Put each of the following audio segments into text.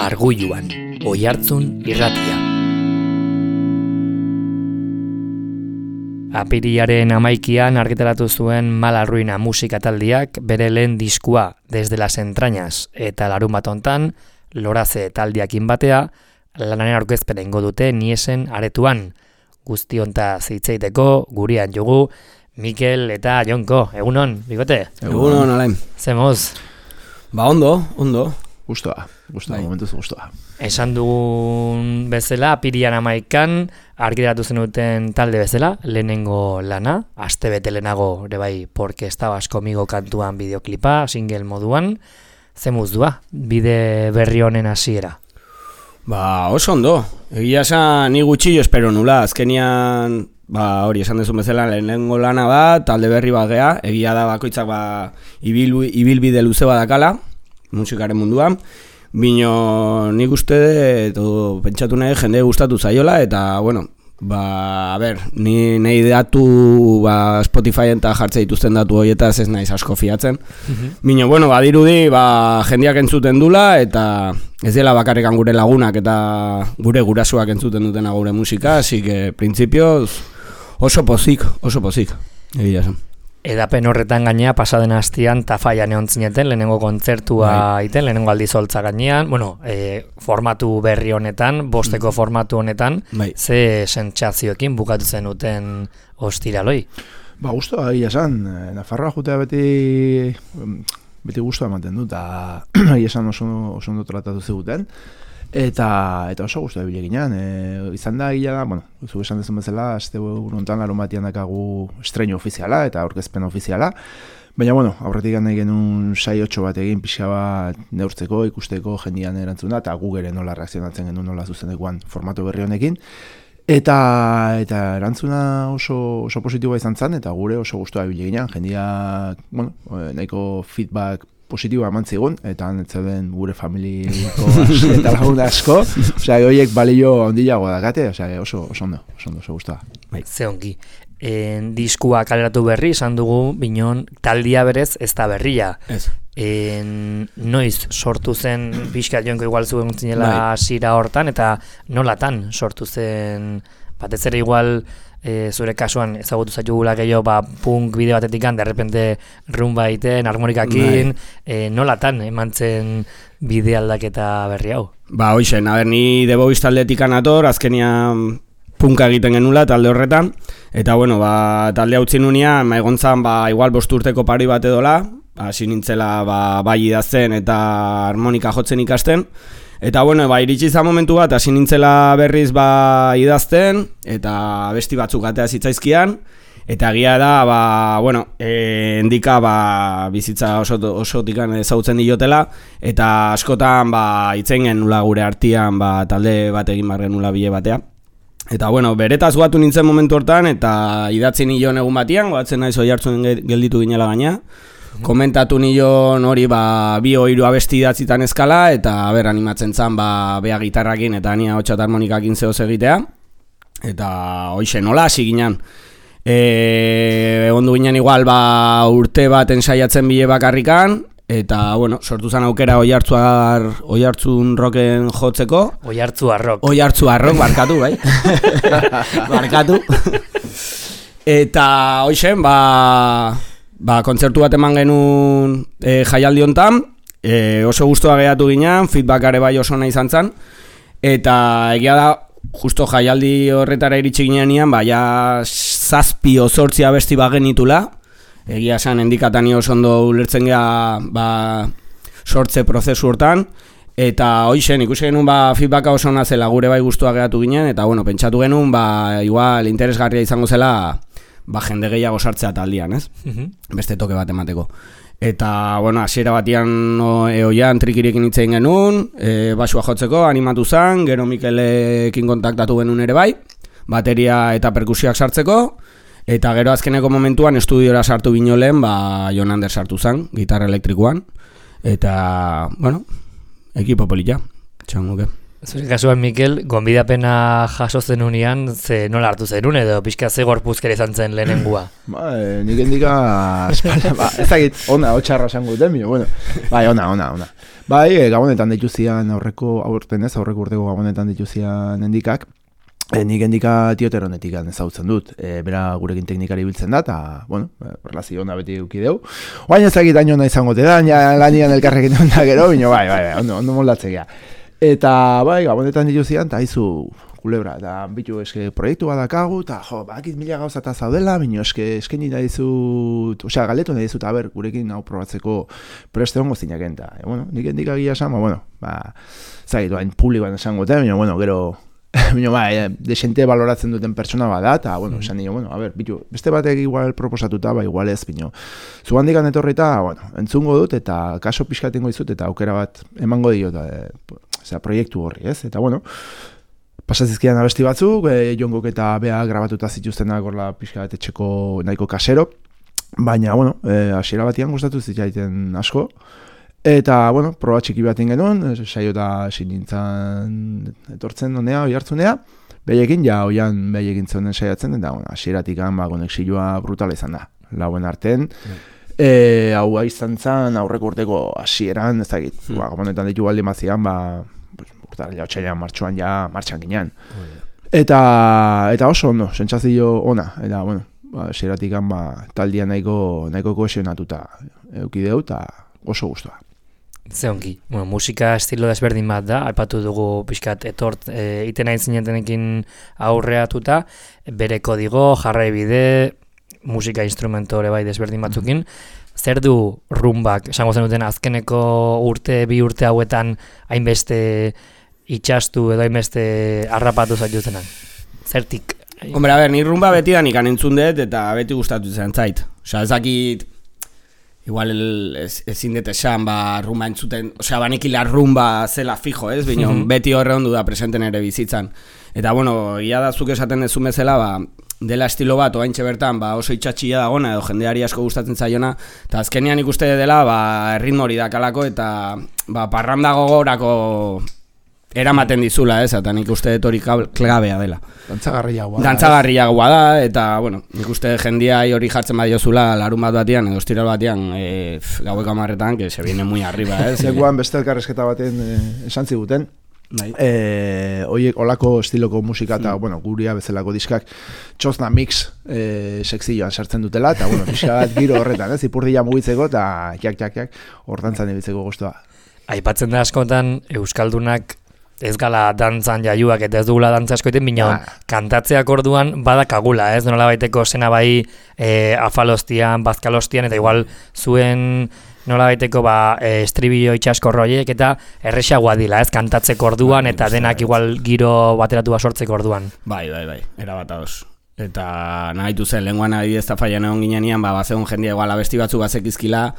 Argulluan, Oihartzun irratia. Apirilaren 11an argitaratu zuen Mala Ruina musika taldiak bere lehen diskua Desde las entrañas eta larunbat hontan Loraze taldiakin batea lanaren aurkezpena ingo dute Niesen aretuan. Guzti hontaz hitz egiteko gurean jugu Mikel eta Jonko. Egunon, bigote? Egunon, Alain. Zemoz? Ba, ondo. Gustoa, momentuz gustoa. Esan dugun bezala, apirian 11an argitaratu zenuten talde bezala, lehenengo lana, astebete lehenago ere bai Porque estabas conmigo kantuan bideoklipa, single moduan, zemuz dua, bide berri honen hasiera? Ba, oso ondo. Egia esan ni gutxillo espero nula, azkenian hori esan dezun bezala lehenengo lana da, talde berri bat gea, egia da bakoitzak ibilbide luze badakala, musikaren munduan, bino nik uste edo pentsatu nahi jende gustatu zaiola, eta bueno, ni nahi datu Spotify eta jartze dituzten datu horietaz ez naiz asko fiatzen. Bino, bueno, badirudi jendeak entzuten dula, eta ez dela bakarrekan gure lagunak eta gure gurasoak entzuten dutena gure musika, así que printzipioz oso pozik, egia esan. Edapen horretan gainea pasaden astian Tafaian egon zineten, lehenengo kontzertua iten, lehenengo aldizoltza gainean, formatu berri honetan, bosteko formatu honetan, ze sentsazioekin bukatu zenuten ostiraloi? Gustoa egia esan, Nafarroa jutea beti gustoa ematen du, eta egia esan oso ondo tratatu ziguten. Eta oso gustu da bileginan. Izan da gila da, zu esan dezun bezala, aste honetan larun batian dakagu estreinu ofiziala eta aurkezpen ofiziala. Baina, aurretik nahi genuen 6-8 bat egin pixka bat neurtzeko, ikusteko jendian erantzuna, eta gu gere nola reakzionatzen genuen nola zuzenekoan formatu berri honekin. Eta erantzuna oso positiboa izan zen, eta gure oso gustu da bileginan. Jendia, nahiko feedback positiboa eman zigun, eta netzeuden gure familiko eta lagun asko, horiek balio ondilagoa dakate, oso ondo, oso guztua. Ze ongi. Diskua kaleratu berri, esan dugu, binon, taldia berez ez da berria. Ez. Noiz sortu zen, pixka Jonko igual zuen zinela zira hortan, eta nolatan sortu zen, batez ere igual, zure kasuan ezagutu zaitugula gehiago punk bideo batetikan, derrepente rumba egiten, harmonikakin, nolatan eman zen bide aldaketa berri hau? Hoixen, ni The Boys taldetikan ator, azkenian punka egiten genula talde horretan, eta talde hau zinunean, egontzan igual 5 urteko pari bat edola, hasi nintzela bai idazten eta harmonika jotzen ikasten, eta iritsi izan momentu bat, hasi nintzela berriz idazten, eta besti batzuk atea zitzaizkian, eta egia da, endika bizitza osotikan ezagutzen diotela, eta askotan hitzen genula gure artean talde bat egin bar genula bile batea. Eta beretaz guatu nintzen momentu hortan, eta idatzi nion egun batian, goatzen naiz Oihartzun gelditu ginela gaina, komentatu nion hori 2-3 abesti idatzitan eskala, eta animatzen zan bea gitarrakin eta nia hotxa eta harmonikakin zehoz egitea, eta hoxe nola hasi ginen. Egon du ginen igual urte bat ensaiatzen bile bakarrikan, eta sortu zen aukera Oihartzun rocken jotzeko. Oihartzua rock, barkatu, bai? Barkatu. Eta hoxen, kontzertu bat eman genuen jaialdi hontan, oso gustoa geratu ginen, feedbackare bai oso nahi izan zen, eta egia da, justo jaialdi horretara iritsi ginean, 7-8 abesti bagenitula, egia esan endikatani oso ondo ulertzen gea sortze prozesu hortan, eta hoixen ikusi genuen feedbacka oso ona zela gure bai gustoa geratu ginen, eta pentsatu genuen igual interesgarria izango zela jende gehiago sartzea taldian, ez? Beste toke bat emateko. Eta, hasiera batian oian trikirekin hitz egin genuen, basua jotzeko, animatu zen, gero Mikelekin kontaktatu genuen ere bai, bateria eta perkusioak sartzeko, eta gero azkeneko momentuan estudiora sartu binolen, Jon Ander sartu zen, gitarra elektrikoan, eta, ekipo polita, txanguke. Zure kasuan, Mikel, gonbidapena jaso zenunean, ze nola hartu zenun, edo pixka ze gorpuzkera izan zen lehenengua? Nik endika, ezagit, ona, hotxarra esango duten, bueno, bai, ona. Bai, gabonetan dituzian aurreko urteko gabonetan dituzian endikak, nik endika tioteronetik ezautzen dut, bera gurekin teknikari biltzen da, eta, bueno, relazio ona beti eukideu. Oain ezagit aino nahi zangote da, lanian elkarrekin onda gero, bino, bai, ondo moldatzea. Eta, bai, gabonetan dituzian, eta izu kulebra, eta bitu eske proiektu badakagu, eta bakit 1000 gauza eta zaudela, bino eskaini nahi dizut, osea, galetu nahi dizut, gurekin hau probatzeko preste hongo zinaken, eta, bueno, nik endika gila esan, zaitu, hain publikoan esango, bino, gero, desente baloratzen duten pertsona bada, eta, esan nio, bitu, beste batek igual proposatuta, igual ez, bino, zu handikan etorrita, entzungo dut, eta kaso pixkatengo dizut, eta aukera bat emango dio, proiektu horri, ez? Eta, pasazizkidan abesti batzuk, jongok eta bea grabatuta zituztenak gorla pixka bat etxeko nahiko kasero, baina, hasiera batian gustatu zitzaiten asko, eta, proba txiki bat genuen, saio eta sinintzan etortzen honea, oihartzunea, behekin, oian behekin zeunen saiatzen, eta, hasieratik konexioa brutala izan da, lauen arten, hau izan zen aurreko urteko hasieran, ez dakit, gabonetan ditu baldin bazian, urtarela otxailan martxan ginean. Eta oso ondo, sentsazio ona, eta, hasieratik taldia nahiko kohesionatuta eukideu, eta oso guztua. Ze ongi, musika estilo desberdin bat da, aipatu dugu pixkat iten hain zinetenekin aurreatuta, bere kodigo, jarraibide, musika instrumentore bai desberdin batzukin, zer du rumbak, esango zenuten azkeneko bi urte hauetan hainbeste itxastu edo hainbeste harrapatu zaituzenak? Zertik? Hombre, ni rumba beti da nikan entzun dut eta beti gustatu zen zait. Osea, ezakit, igual ezin dut esan, rumba entzuten, osea, banikila rumba zela fijo, ez? Bino, beti horre ondu da presenten ere bizitzan. Eta, ia da zuk esaten dezun bezala, dela estilo bat, oaintxe bertan, oso itxatxia dagona, edo jendeari asko gustatzen zaiona, eta azkenean ikuste dela, erritmo hori dakalako, eta parranda gogorako eramaten dizula, ez? Eta nik uste dut hori klabea dela. Dantzagarriagoa da, eta, nik uste jendia hori jartzen badiozula larun bat batian, edo estiral batian, gaueko 10:00, que se viene muy arriba, ez? Lekuan beste elkarrezketa baten esan ziguten, oiek olako estiloko musika eta guria bezalako diskak txosna mix sekzioan sartzen dutela eta pixka bat giro horretan, ipurdia mugitzeko eta jak hortantzan ebitzeko guztua. Aipatzen da askotan Euskaldunak ez gala dantzan jaiuak eta ez dugula dantza askoiten, bina kantatzeak orduan badakagula, ez? Nola baiteko zena bai afalostian, bazkalostian, eta igual zuen nola baiteko estribillo itxasko roiek eta erresagoa dila, ez? Kantatzeko orduan eta denak igual giro bateratu sortzeko orduan. Bai, erabat ados. Eta nahitu zen, lehenguan adibidez eta faian egon ginean, bazegon jendia igual abesti batzu bazekizkila,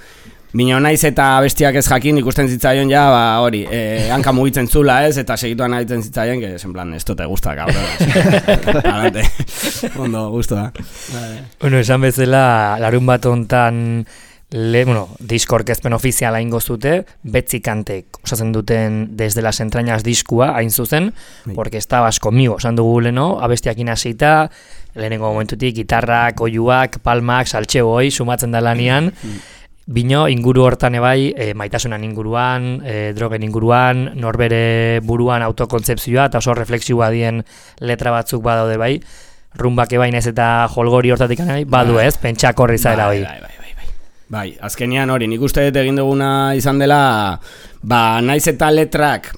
bino naiz eta abestiak ez jakin ikusten zitzaion hori, hanka mugitzen zula, ez? Eta segituan nahitzen zitzaion, que en plan, esto te gusta, cabrón. Alante, ondo, guztua. Esan bezala, larun bat hontan disko orkezpen ofiziala ingo zute, betzi kantek osatzen duten Desde las entrañas diskua, hain zuzen, porque estabas conmigo, esan dugu leno, abestiakin hasita, lehenengo momentutik, gitarrak, oiuak, palmak, saltxeo hoi, sumatzen da lanian, bino inguru hortan ebai, maitasunan inguruan, drogen inguruan, norbere buruan autokontzepzioa, eta oso refleksioa dien letra batzuk badaude bai, rumbak ebain ez eta jolgori hortatik nahi, badu ez, pentsak horri zaela hoi. Bai, azkenean hori, nik uste dut egin duguna izan dela, naiz eta letrak,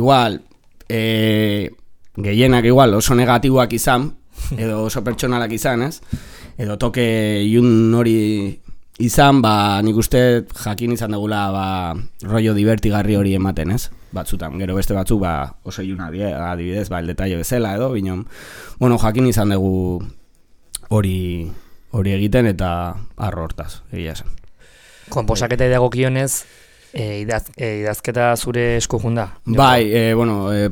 igual, gehienak igual oso negatiboak izan, edo oso pertsonalak izan, ez? Edo toke ilun hori izan, nik uste jakin izan dugula rollo divertigarri hori ematen, ez? Batzutan, gero beste batzuk oso iluna adibidez, el detalle bezala edo, binon, jakin izan dugu hori egiten eta arro hortaz, egia esan. Konposaketa idagokionez, idazketa zure esku junda? Bai,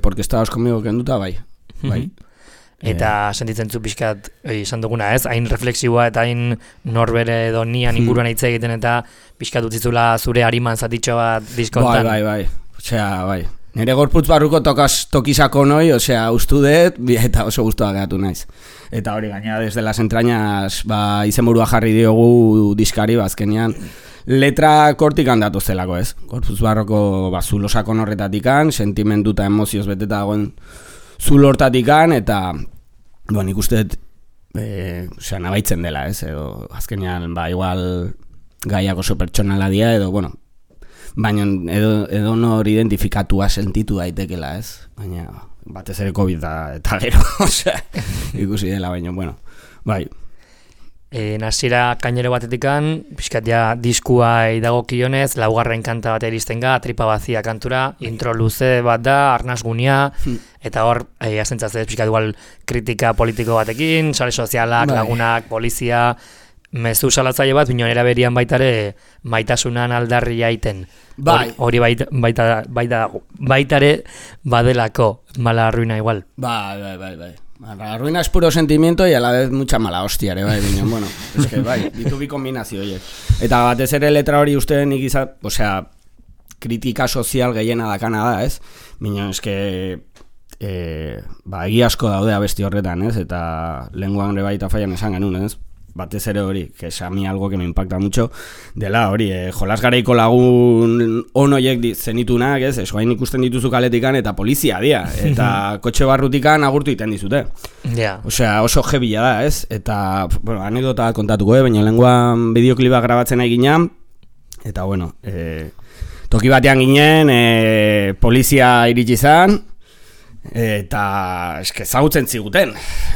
porque estabas conmigo kenduta, bai. Eta sentitzen zu pixkat, esan duguna ez, hain refleksioa eta hain norbere edo nian inguruan hitz egiten eta pixkat utzizula zure hariman zatitxo bat diskontan. Bai. Osea, bai. Nire gorputz barruko tokizako noi, osea, ustu dut, eta oso guztua gehatu naiz. Eta hori gaina, desde las entrañas, izenburua jarri diogu diskari, azkenean, letra kortik handatu zelako, ez? Gorputz barruko, zulosako horretatikan, sentimendu eta emozioz beteta dagoen zulortatikan, eta, nik uste dut, osea, nabaitzen dela, ez? Edo, azkenean, igual, gaiak oso pertsonala dia, edo, bueno, baina edo nor identifikatua sentitu daitekela, ez? Baina batez ere COVID eta gero, osea, ikusi dela, baina, bueno, bai. Hasiera kainero batetikan, pixkat ja diskua dagokionez, laugarren kanta bat iristen ga, tripa bazia kantura, intro luze bat da, arnasgunia, eta hor, azentzaz ez pixkat igual kritika politiko batekin, sare sozialak, lagunak, polizia, mezu salatzaile bat, bino eraberian baitare maitasunan aldarri jaiten. Hori baitare badelako mala arruina igual. Bai. La ruina es puro sentimiento y a la vez mucha mala hostia, bai, bino, bueno, es que bai, ditu bi kombinazio, oie. Eta batez ere letra hori uste nik izan, osea, kritika sozial gehiena dakana da, ez? Bino, es que, egi asko daude abesti horretan, ez? Eta lenguan ere baita fallan esan genuen, ez? Batez ere hori, que es a mí algo que me impacta mucho, dela hori, jolas garaiko lagun onoiek zenitunak, ez, esguain ikusten dituzu kaletikan, eta polizia dia, eta kotxe barrutikan agurtu iten dizute. Osea, oso jebila da, ez, eta, bueno, anekdota kontatuko, baina lenguan bideokliba grabatzen nahi ginen, eta, bueno, toki batean ginen, polizia iritsi zan, eta eske ezagutzen ziguten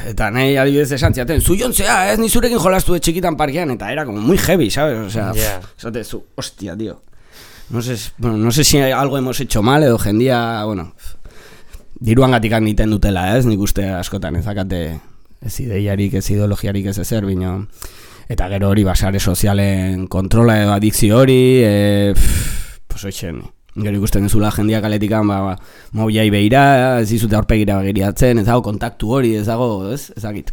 eta nahi adibidez esan ziaten zu jontzea, ez nizurekin jolastu de txikitan parkean eta era como muy heavy, ¿sabes? O sea, esate zu, hostia, tío, no sé si algo hemos hecho mal edo jendia, bueno, diruangatik niten dutela, ez, nik uste askotan ezakate ez ideiarik, ez ideologiarik ez ezer, bino eta gero hori basare sozialen kontrola edo adikzio hori, pues oixen gero ikusten duzula jendia kaletikan, mobiai behira, ez dizute aurpegira begiriatzen, ez dago kontaktu hori, ez dago, ez dakit.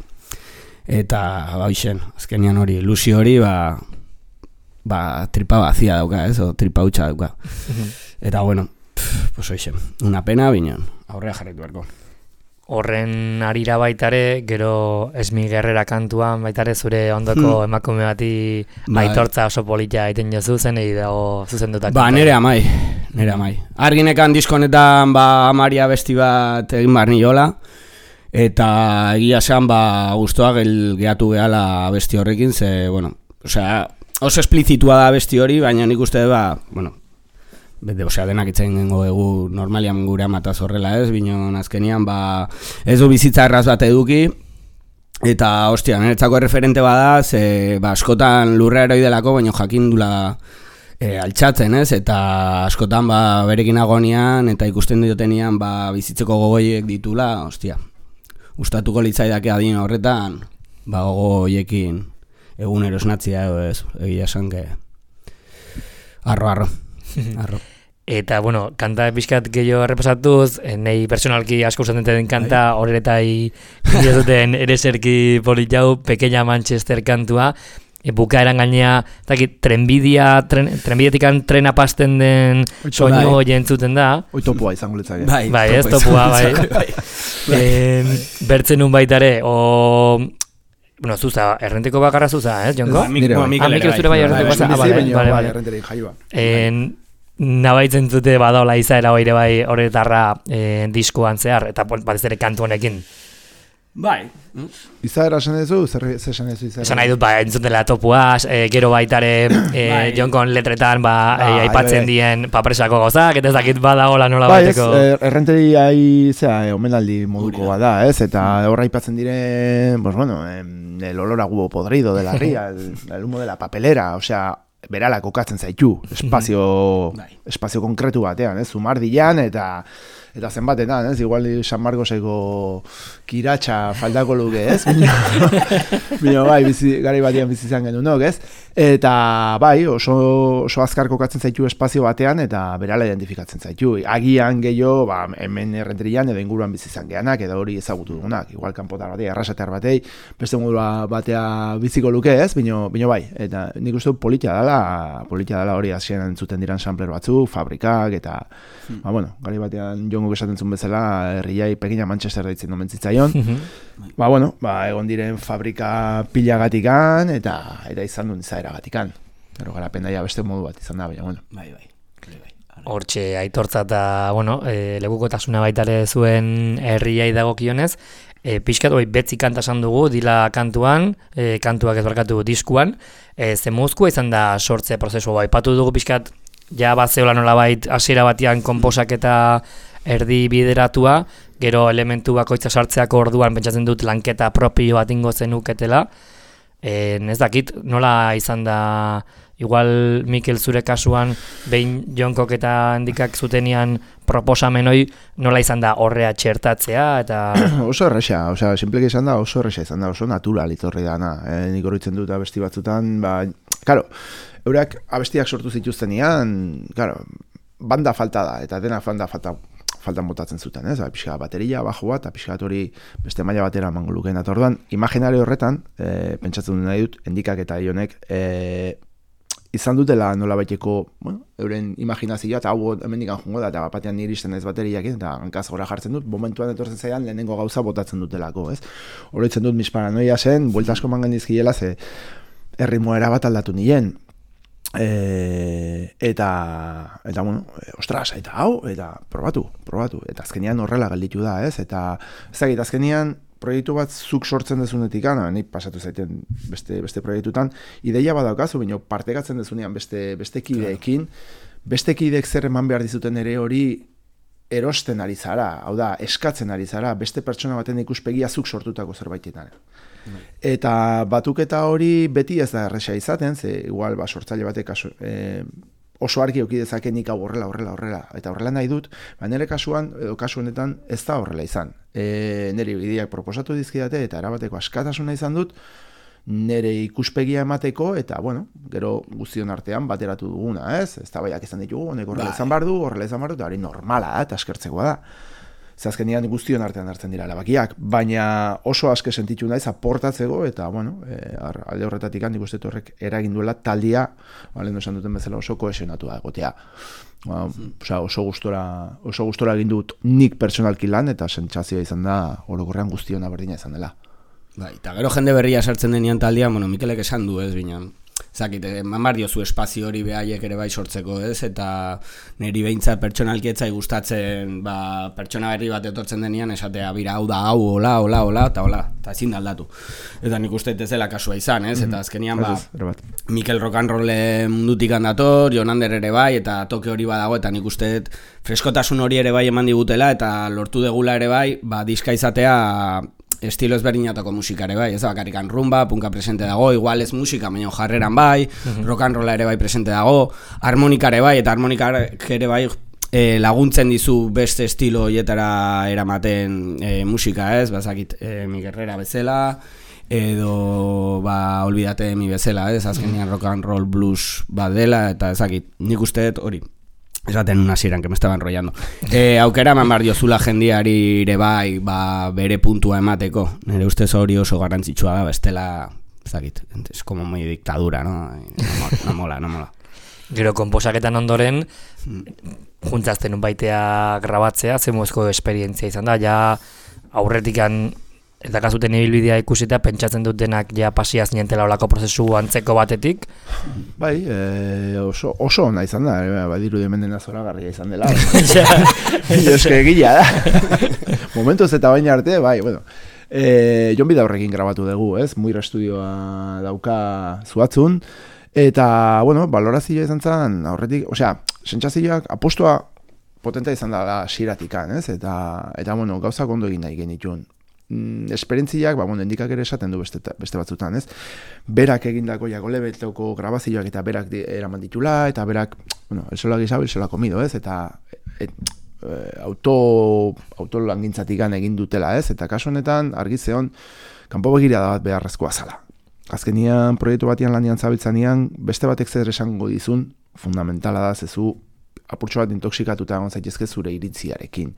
Eta, hoxen, azkenian hori, ilusio hori, tripa bazia dauka, ez, o tripa hutsa dauka. Eta, bueno, pues hoxen, una pena, bineon, aurrea jarritu berko. Horren arira baitare, gero Esmi Gerrera kantuan baitare zure ondoko emakume bati aitortza oso polita egiten jozu zen, dago zuzendutak. Nere amai. Arginekan diskonetan amaria besti bat egin barni jola, eta egia esan guztua gehatu gehala besti horrekin, ze, bueno, osea, oso esplizitua da besti hori, baina nik uste bueno, osea, denak itzen gengo egu normalian gure amataz horrela, ez, bino azkenian, ez du bizitza erraz bat eduki, eta, ostia, niretzako referente bada, ze, askotan lurra eroi delako, baina jakindula altxatzen, ez, eta askotan, berekin agonian, eta ikusten dutenian, bizitzeko gogoiek ditula, ostia, gustatuko litzaidake adin horretan, gogoiekin egunero esnatzia, ez, egia esan, arro. Eta, bueno, kanta pixkat gehiago errepasatuz, nahi personalki asko usatzen den kanta, horretai duten ereserki polit jau, Pequeña Manchester kantua, bukaeran gainea, trenbidetikan trena pasten den soinu jentzuten da. Hoi topua izango litzake. Bai, ez topua, bai. Bertzen nun baitare, bueno, zuza, errenteko bakarra zuza, ez, Jonko? Mikel zure bai errenteko bakarra. Nabaitzen zute badaola izaera hoire bai horretarra diskoan zehar, eta batez ere kantu honekin. Bai. Izaera esan ezu, zer esan ezu izaera? Esan nahi dut, entzutela topuaz, gero baitare Jonkon letretan aipatzen dien papresako gozak, eta ezakit badaola nola baiteko. Bai, errenteri omenaldi moduko bada, ez? Eta horra aipatzen diren, pues bueno, el olor a huevo podrido de la ría, el humo de la papelera, osea, berala kokatzen zaitu, espazio konkretu batean, ez? Zumardian, eta eta zenbatetan, ez? Igual San Marcoseko kiratxa faltako luke, ez? Bino, bai, garai batean bizi izan genuen, ez? Eta bai, oso azkar kokatzen zaitu espazio batean eta berala identifikatzen zaitu. Agian gehiago, hemen errenterian edo inguruan bizi izan geanak, edo hori ezagutu dugunak. Igual kanpotar batei, arrasatar batei, beste modua batea biziko luke, ez? Bino bai, eta nik uste politia dela hori hasieran entzuten diran sampler batzuk, fabrikak, eta gari batean jongo esaten zuen bezala, herriai pekina Manchester deitzen domen zitzaion. Egon diren fabrika pilagatikan, eta izan duen izaeragatikan. Gero garapen daia beste modu bat izan da, baina, Bai. Hortxe aitortza eta, lekukotasuna baitare zuen herriai dagokionez, pixkat betzi kanta esan dugu, dila kantuan, kantuak ez barkatu diskuan, zemuzkoa izan da sortze prozesu aipatu dugu pixkat, ja bat zeola nolabait hasiera batean konposak eta erdi bideratua, gero elementu bakoitza sartzeako orduan pentsatzen dut lanketa propio bat ingo zenuketela, ez dakit, nola izan da, igual Mikel zure kasuan, behin Jonkok eta Handikak zutenian proposamen hori, nola izan da horrea txertatzea, eta... Oso erresa, simpleki izan da, oso erresa izan da, oso natural itorri dana. Nik horretzen dut abesti batzutan, karo, eurak abestiak sortu zituztenian, karo, banda falta da, eta dena faltan botatzen zuten, ez? Pixka bateria, bajua, eta pixka hori beste maila batera emango lukeen. Eta orduan, imaginario horretan, pentsatzen dut nahi dut, Handikak eta Jonek, izan dutela nola baiteko, euren imaginazioa, eta hau hemendik jungo da, eta batean niri iristen ez bateriak, eta hankaz gora jartzen dut, momentuan etortzen zaidan lehenengo gauza botatzen dutelako, ez? Horretzen dut mis paranoia zen, buelta asko mangan dizkiela, ze erritmoa erabat aldatu nien. Ostras, eta hau, eta probatu. Eta azkenian horrela gelditu da, ez? Eta ezagit, azkenian proiektu bat zuk sortzen dezunetik, nik pasatu zaiten beste proiektutan, ideia badaukazu, baina partekatzen dezunean beste kideekin, beste kideek zer eman behar dizuten ere hori erosten ari zara, hau da, eskatzen ari zara, beste pertsona baten ikuspegia zuk sortutako zerbaitetan. Eta batuketa hori beti ez da erresa izaten, ze igual sortzaile batek oso argi euki dezake nik hau horrela, eta horrela nahi dut, nire kasuan, edo kasu honetan ez da horrela izan. Nire ideak proposatu dizkidate eta erabateko askatasuna izan dut, nire ikuspegia emateko, eta gero guztion artean bateratu duguna, ez? Ez da baiak izan ditugu, honek horrela izan bardu, eta hori normala eta askertzekoa da. Azkenean guztion artean hartzen dira erabakiak, baina oso aske sentitu naiz aportatzeko, eta alde horretatik handik uste horrek eragin duela taldia, lehen esan duten bezala oso kohesionatua egotea. Oso gustora egin dut nik personalki lan, eta sentsazioa izan da orokorrean guztiona berdina izan dela. Eta gero jende berria sartzen denean taldia, Mikelek esan du, ez bina. Zakit, eman diozu espazio hori behaiek ere bai sortzeko, ez? Eta niri behintzat pertsonalki etzai gustatzen, pertsona berri bat etortzen denean, esatea, bira, hau da, hau, hola, eta ezin da aldatu. Eta nik uste ez dela kasua izan, ez? Eta azkenian, Mikel rock'n'roll mundutik handator, Jonander ere bai, eta toke hori badago, eta nik uste freskotasun hori ere bai eman digutela, eta lortu degula ere bai, diska izatea estilo ezberdinatako musikare bai, ez da bakarrikan rumba, punka presente dago, igual ez musika, baina jarreran bai, rock and rolla ere bai presente dago, harmonikare bai, eta harmonikak ere bai laguntzen dizu beste estilo hietara eramaten musika, ez, bazakit mi Guerrera bezala, edo olvidate mi bezala, ez, azkenean rock and roll blues bat dela, eta ezakit, nik usteet hori. Esaten una hasieran, que me estaba enrollando. Aukera eman behar diozula jendiari ere bai, bere puntua emateko. Nire ustez hori oso garrantzitsua da, bestela, ezakit, es como muy dictadura, ¿no? No mola. Gero konposaketan ondoren, juntzazten unbaitea grabatzea, zemuzko esperientzia izan da, ja aurretikan eta kasuten ibilbidea ikusita pentsatzen dut denak ja pasiaz nientela olako prozesu antzeko batetik. Bai, oso ona izan da, badiru demendena zoragarria izan dela. Eske egila da. Momentuz eta baina arte, bai, Jon Bida horrekin grabatu dugu, ez? Muir estudioa dauka zuatzun, eta, balorazioa izan zen, aurretik, sentsazioak apostua potenta izan da xiratikan, ez? Eta gauzak ondo egin nahi genituen. Esperientziak, Handikak ere esaten du beste batzutan, ez? Berak egindako Jagolebetoko grabazioak eta berak eraman ditula, eta berak, el sola guisado, el sola comido, ez? Eta autolangintzatik egin dutela, ez? Eta kasu honetan, argi zeon, kanpo begirada bat beharrezkoa zala. Azkenian, proiektu batian lanian zabiltzanean, beste batek zer esango dizun, fundamentala da, zezu apurtxo bat intoxikatuta egon zaitezke zure iritziarekin.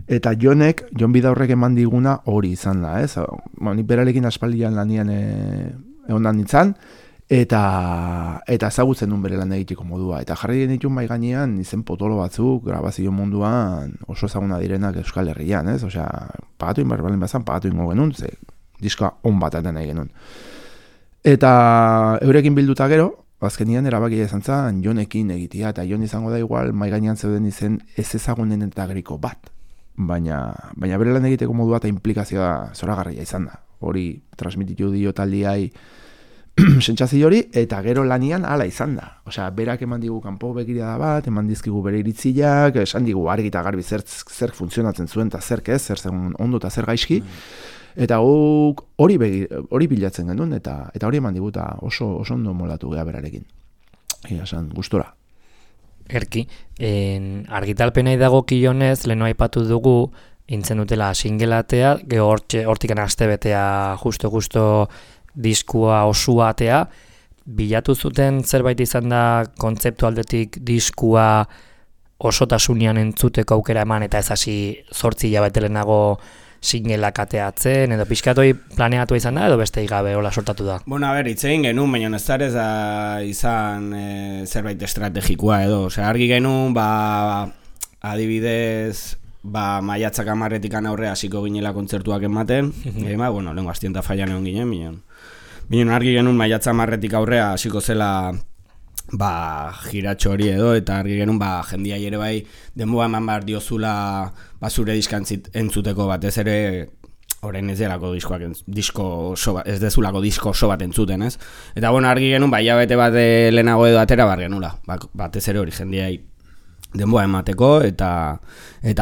Eta Jon Bidaurrek eman diguna hori izan da, ez? Nik berarekin aspaldian lanian egon nintzen, eta ezagutzen duen bere lan egiteko modua. Eta jarri genitun bai gainean izen potolo batzuk grabazio munduan oso ezaguna direnak Euskal Herrian, ez? Osea, pagatu inbarbalen bazan, pagatu ingo genuen, ze diskoa on bat aten nahi genuen. Eta eurekin bilduta gero, azkenian erabakia izan zen Jonekin egitea, eta Jon izango da igual mai gainean zeuden izen ez ezagunen eta geriko bat. Baina bere lan egiteko modua eta implikazioa zoragarria izan da. Hori transmititu dio taldiai sentsazio hori, eta gero lanian hala izan da. Osea, berak eman digu kanpo begirada bat, eman dizkigu bere iritziak, esan digu argi eta garbi zer funtzionatzen zuen eta zer ez, zer zen ondo eta zer gaizki. Eta hori bilatzen genuen, eta hori eman diguta oso ondo molatu geha berarekin. Esan, gustora. Erki, argitalpenai dagokionez, leheno aipatu dugu, intzen dutela singelatea, geho hortikan aste betea justo diskua osua atea, bilatu zuten zerbait izan da kontzeptu aldetik diskua osotasunean entzuteko aukera eman, eta ez hasi 8 hilabete lehenago singelak ateatzen, edo pixkatoi planeatu izan da, edo beste igabe hola sortatu da? Bueno, a ber, itzein genuen, baina ez da izan zerbait estrategikoa edo. Osea, argi genuen, adibidez, maiatzak 10-etik aurrea hasiko ginela kontzertuak ematen, bueno, lehenko astienta fallan egon ginen, binen argi genuen maiatza 10-etik aurrea hasiko zela jiratxo hori edo, eta argi genuen jendia ere bai denboa eman behar diozula zure diskantzit entzuteko batez ere orain ez delako ez dezulako disko oso bat entzuten, ez? Eta bueno, argi genuen hilabete bat lehenago edo atera bar genula, batez ere hori jendiai denboa emateko eta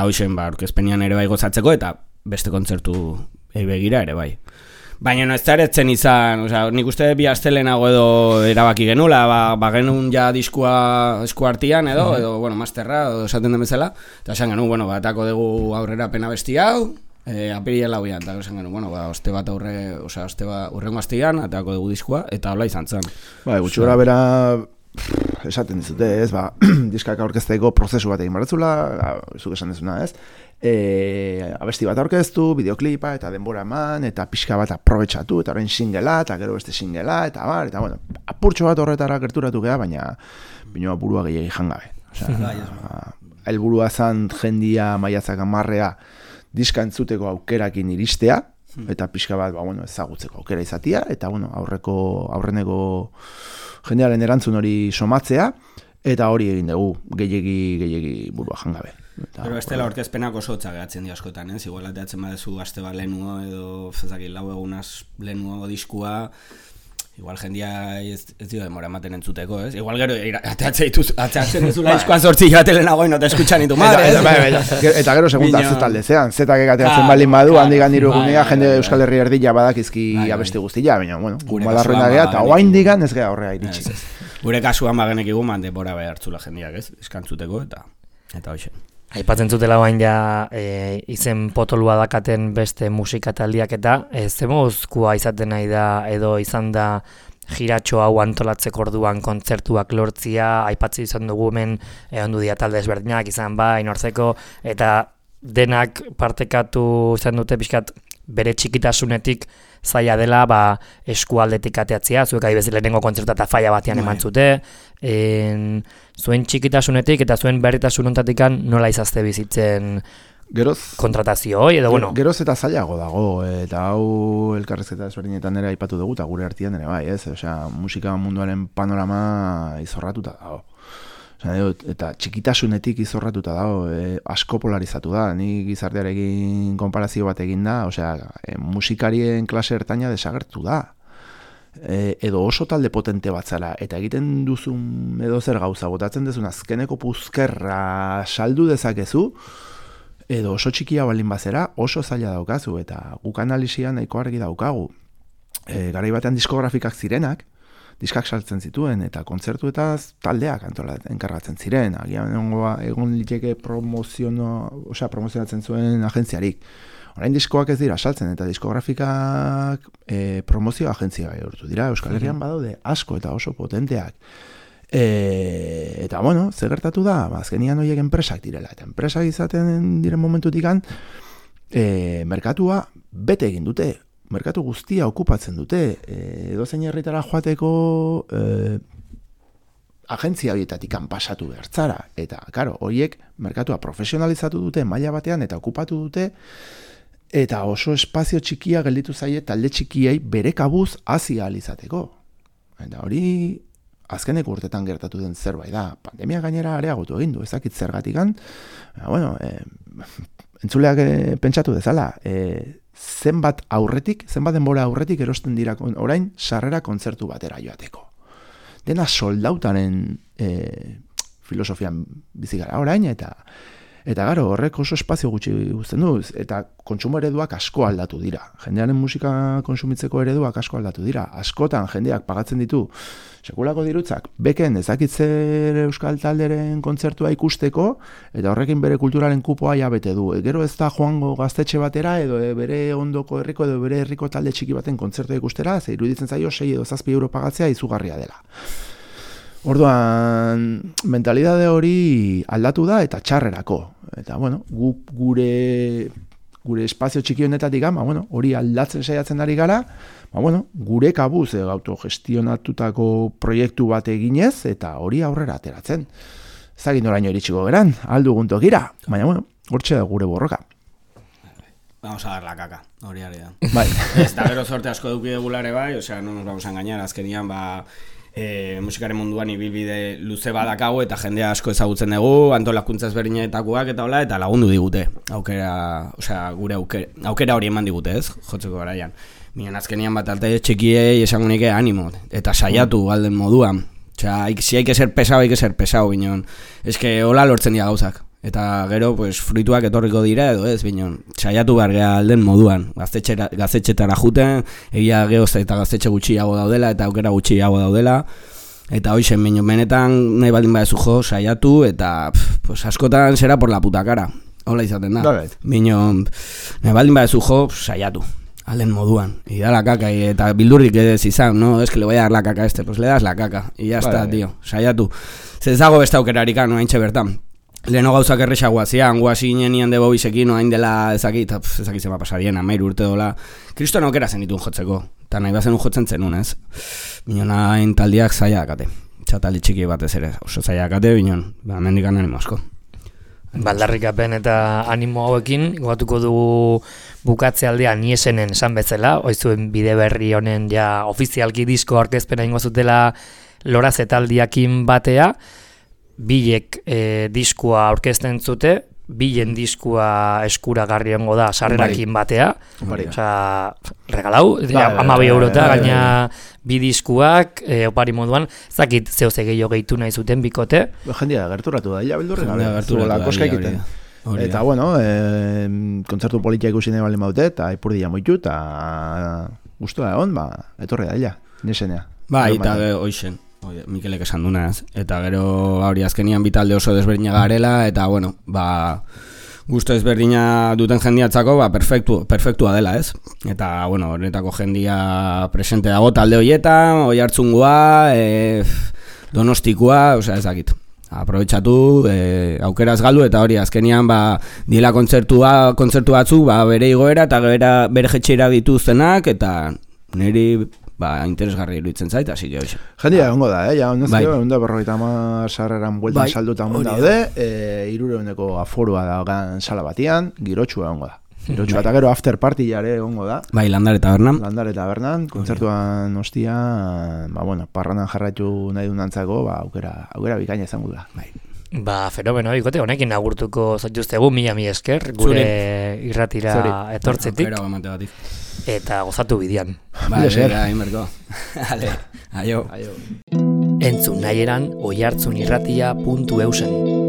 hoxen aurkezpenean ere bai gozatzeko eta beste kontzertu begira ere bai. Baina ez da eretzen izan, nik uste bi aste lehenago edo erabaki genula, genuen ja diskua esku artian edo bueno, masterra, edo esaten den bezala, eta esan genuen, bueno, atako dugu aurrera pena besti hau, apiriela hoian, eta esan genuen, bueno, oste bat urrengo astean, atako dugu diskua, eta hola izan zen. Gutxi gora bera, esaten dizute, ez, diskak aurkezteko prozesu bat egin baratzula, zuk esan dezuna, ez, abesti bat aurkeztu, bideoklipa eta denbora eman, eta pixka bat aprobetxatu, eta orain singela, eta gero beste singela, eta bueno, apurtxo bat horretara gerturatu geha, baina burua gehiagi jangabe. Helburua zan jendia maiatzak 10 diska entzuteko aukerakin iristea, eta pixka bat, ezagutzeko aukera izatia, eta aurreneko jendearen erantzun hori somatzea, eta hori egin dugu, gehiagi burua jangabe. Pero bestela aurkezpenak oso hotza gehatzen di askotan, ez? Igual ateatzen badezu aste bat lehenuo edo zezakit 4 egunaz lehenuo diskua, igual jendia ez dio demora ematen entzuteko, ez? Igual gero ateatzen duzula diskoa 8 hilabete lehenago no te escuchan ni tu madre, eta gero segunda zetalde zean, zetak ateatzen baldin badu, handik handiru egunea, jende Euskal Herri erdila badakizki abesti guztia, baina, bueno, malarruena geha, eta oain digan ez geha horrea iritsi. Gure kasuan bagenek iguman denbora behartzula jendiak, ez? Eskantzuteko eta hoxe. Aipatzen zutela bain ja izen potolua dakaten beste musika taldiak eta zemozkoa izaten nahi da edo izan da jiratxo hau antolatzeko orduan kontzertuak lortzia, aipatzen izan dugu hemen ondu dia talde ezberdinak izan inortzeko, eta denak partekatu izan dute pixkat bere txikitasunetik zaila dela eskualdetik ateatzea, zuek adibez lehenengo kontzertu eta faia batean eman zute, zuen txikitasunetik eta zuen berritasun ontatikan nola izazte bizitzen kontratazio hoi, edo bueno. Geroz eta zailago dago, eta hau elkarrezketa ezberdinetan ere aipatu dugu, eta gure artean ere bai, ez? Osea, musika munduaren panorama izorratuta dago. Eta txikitasunetik izorratuta dago, asko polarizatu da, ni gizartearekin konparazio bat egin da, osea, musikarien klase ertaina desagertu da. Edo oso talde potente bat zara, eta egiten duzun edo zer gauza, botatzen duzun azkeneko puzkerra saldu dezakezu, edo oso txikia balin bazera, oso zaila daukazu, eta guk analisian nahiko argi daukagu. Garai batean diskografikak zirenak, diskak saltzen zituen, eta kontzertuetaz taldeak enkargatzen ziren, agian egon liteke promozionatzen zuen agentziarik. Orain diskoak ez dira saltzen, eta diskografikak promozio agentzia bihurtu dira, Euskal Herrian badaude asko eta oso potenteak. Eta, bueno, zer gertatu da, azkenian horiek enpresak direla, eta enpresak izaten diren momentutikan, merkatua bete egin dute, merkatu guztia okupatzen dute, edozein herritara joateko agentzia horietatik pasatu bertzara, eta, karo, horiek merkatua profesionalizatu dute maila batean eta okupatu dute, eta oso espazio txikia gelditu zaie talde txikiei bere kabuz hasi ahal izateko. Eta hori azkeneko urtetan gertatu den zerbait da. Pandemia gainera areagotu egin du, ezakit zergatikan. Bueno, entzuleak pentsatu dezala, zenbat denbora aurretik erosten dira orain sarrera kontzertu batera joateko. Dena soldautaren filosofian bizi gara orain, eta garo, horrek oso espazio gutxi guztien du, eta kontsumo ereduak asko aldatu dira. Jendearen musika konsumitzeko ereduak asko aldatu dira. Askotan jendeak pagatzen ditu sekulako dirutzak, beken ezakitzer euskal talderen kontzertua ikusteko, eta horrekin bere kulturalen kupoa ja bete du. Gero ez da joango gaztetxe batera, edo bere ondoko herriko, edo bere herriko talde txiki baten kontzertua ikustera, ze iruditzen zaio 6 edo 7 euro pagatzea izugarria dela. Orduan, mentalidade hori aldatu da eta txarrerako. Eta, bueno, gure espazio txiki honetatik, hori aldatzen saiatzen ari gara, gure kabuz autogestionatutako proiektu bat eginez, eta hori aurrera ateratzen. Zagin oraino iritsiko geran, aldugun tokira, baina, hortxe da gure borroka. Vamos a dar la caca, hori ari da. Bai. Ez da gero sorte asko eduki egulare bai, no nos vamos a engañar, azkenian musikaren munduan ibilbide luze badakago eta jendea asko ezagutzen dugu, antolakuntza ezberdinetakoak eta hola, eta lagundu digute. Gure aukera hori eman digute, ez? Jotzeko garaian. Miren azkenian bat alte txikiei esango nike animo, eta saiatu galden moduan. Si hay que ser pesado, binon. Ez que hola lortzen dira gauzak. Eta gero, fruituak etorriko dira edo ez, binon, saiatu behar geha alden moduan. Gaztetxetara juten, egia geoz eta gaztetxe gutxiago daudela, eta aukera gutxiago daudela. Eta hoixen, binon, benetan nahi baldin badezu jo, saiatu, eta askotan zera por la puta cara. Hola izaten da. Binon, nahi baldin badezu jo, saiatu. Alden moduan. Y da la caca, eta bildurrik ez izan, no? Es que le voy a dar la caca a este, pues le das la caca. Y ya está, tío, saiatu. Zezago beste aukerarika, no haintxe bertan. Leheno gauzak errexagoa zian, guazi inenian de bobisekin, hain dela ezakit zema pasarien, 13 urte dola. Kristoan aukera zen ditun jotzeko, eta nahi bazen jotzen zenun, ez? Binon hain taldiak zaila akate, txataldi txiki batez ere, oso zaila akate, binon, mendikan animo asko. Baldarrikapen eta animo hauekin, gogatuko dugu bukatzealdea niesenen esan bezala, oizuen bide berri honen ja ofizialki disko aurkezpena ingo zutela lorazetaldiakin batea, bilek diskua aurkezten zute, bilen diskua eskuragarri hongo da sarrerakin batea. Osea, regalau, 12 eurota, gaina bi diskuak, opari moduan, zakit zehose gehiago gehitu nahi zuten bikote. Jendia gerturatu da, bildurri gabe, koska egiten. Eta, bueno, kontzertu politia ikusi nahi baldin baute, eta ipurdia moitu, eta guztua egon, etorri da, nesenea. Eta hoixen. Mikelek esan dunaz, eta gero hori azkenian bitalde oso desberdina garela, eta bueno, gusto desberdina duten jendiatzako, perfektua dela, ez? Eta, bueno, horretako jendia presente dago talde horietan, Oiartzungoa, Donostikoa, osea, ezakit. Aprobetxatu, aukeraz galdu, eta hori azkenian, diela kontzertu batzu, bere igoera, eta bere jetxeira dituztenak, eta niri interesgarri iruditzen zait, así que hoxe. Jendia egongo da, ja, ondazio, 50 sarreran bueltan saldutan daude, 300 aforua da sala batian, girotxua egongo da. Girotxua eta gero after party jare egongo da. Landare Tabernan. Kontzertuan ostia, parranan jarraitu nahi dunantzako, aukera bikaina izango da. Fenomeno, ikote, honekin agurtuko zaituztegu, mila esker, gure irratira etortzetik. Eta gozatu bidean. Inberko. Aio. Entzun nahieran oiartzunirratia.eusen.